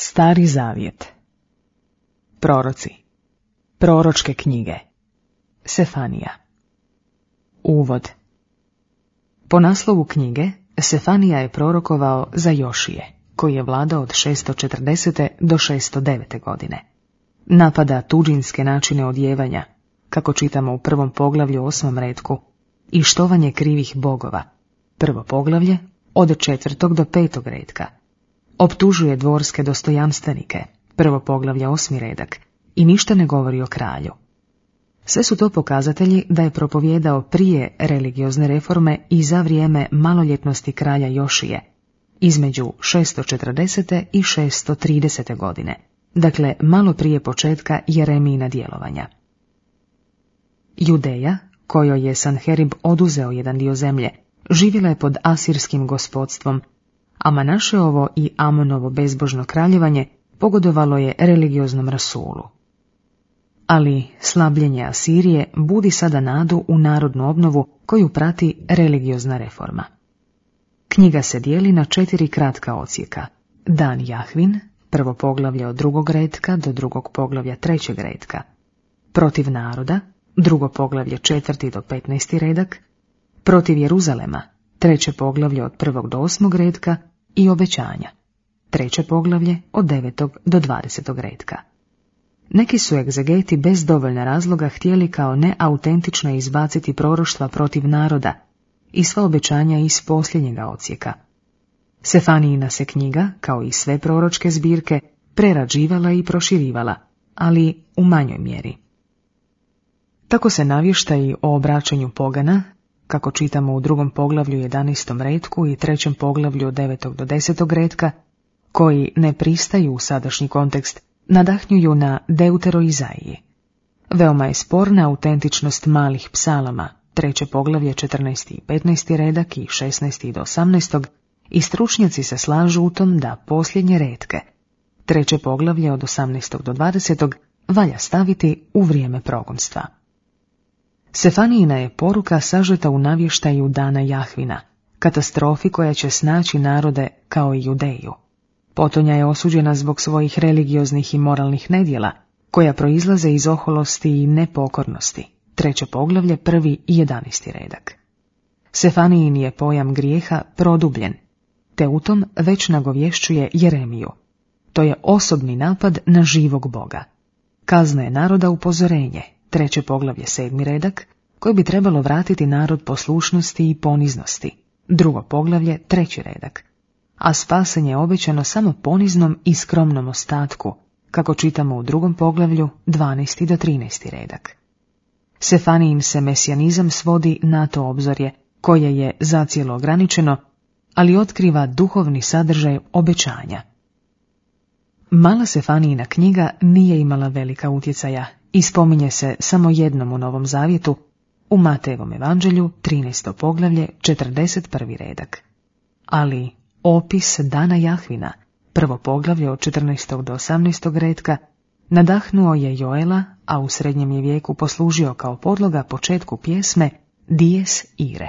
Stari zavjet. Proroci. Proročke knjige. Sefanija. Uvod. Po naslovu knjige, Sefanija je prorokovao za Jošije, koji je vladao od 640. do 609. godine. Napada tuđinske načine odjevanja, kako čitamo u prvom poglavlju 8. retku, i štovanje krivih bogova, prvo poglavlje od 4. do 5. retka. Optužuje dvorske dostojanstvenike, prvo poglavlje 8. redak, i ništa ne govori o kralju. Sve su to pokazatelji da je propovijedao prije religiozne reforme i za vrijeme maloljetnosti kralja Jošije, između 640. i 630. godine, dakle malo prije početka Jeremijina djelovanja. Judeja, kojoj je Sanherib oduzeo jedan dio zemlje, živjela je pod asirskim gospodstvom, a Manašeovo i Amonovo bezbožno kraljevanje pogodovalo je religioznom rasulu. Ali slabljenje Asirije budi sada nadu u narodnu obnovu koju prati religiozna reforma. Knjiga se dijeli na 4 kratka odsjeka. Dan Jahvin, prvo poglavlje od 2. retka do 2. poglavlja 3. retka. Protiv naroda, 2. poglavlje 4. do 15. redak. Protiv Jeruzalema, 3. poglavlje od 1. do 8. retka i obećanja, 3. poglavlje od 9. do 20. retka. Neki su egzegeti bez dovoljna razloga htjeli kao neautentično izbaciti proroštva protiv naroda i sva obećanja iz posljednjega odsjeka. Sefanijina se knjiga, kao i sve proročke zbirke, prerađivala i proširivala, ali u manjoj mjeri. Tako se navještaji o obraćanju pogana, kako čitamo u 2. poglavlju 11. retku i 3. poglavlju od 9. do 10. retka, koji ne pristaju u sadašnji kontekst, nadahnjuju na Deuteroizaiji. Veoma je sporna autentičnost malih psalama, 3. poglavlje 14. i 15. redak i 16. do 18. i stručnjaci se slažu u tom da posljednje retke, 3. poglavlje od 18. do 20. valja staviti u vrijeme progonstva. Sefanijina je poruka sažeta u navještaju dana Jahvina, katastrofi koja će snaći narode kao i Judeju. Potonja je osuđena zbog svojih religioznih i moralnih nedjela, koja proizlaze iz oholosti i nepokornosti, 3. poglavlje 1. i 11. redak. Sefanijin je pojam grijeha produbljen, te u tom već nagovješćuje Jeremiju. To je osobni napad na živog Boga. Kazna je naroda upozorenje, 3. poglavlje 7. redak, koji bi trebalo vratiti narod poslušnosti i poniznosti, 2. poglavlje 3. redak. A spasenje je obećano samo poniznom i skromnom ostatku, kako čitamo u 2. poglavlju 12. do 13. redak. Sefanijin se mesijanizam svodi na to obzorje, koje je zacijelo ograničeno, ali otkriva duhovni sadržaj obećanja. Mala Sefanijina knjiga nije imala velika utjecaja i spominje se samo jednom u Novom Zavjetu, u Matejevom evanđelju 13. poglavlje 41. redak. Ali opis dana Jahvina, prvo poglavlje od 14. do 18. retka, nadahnuo je Joela, a u srednjem je vijeku poslužio kao podloga početku pjesme Dies Ire.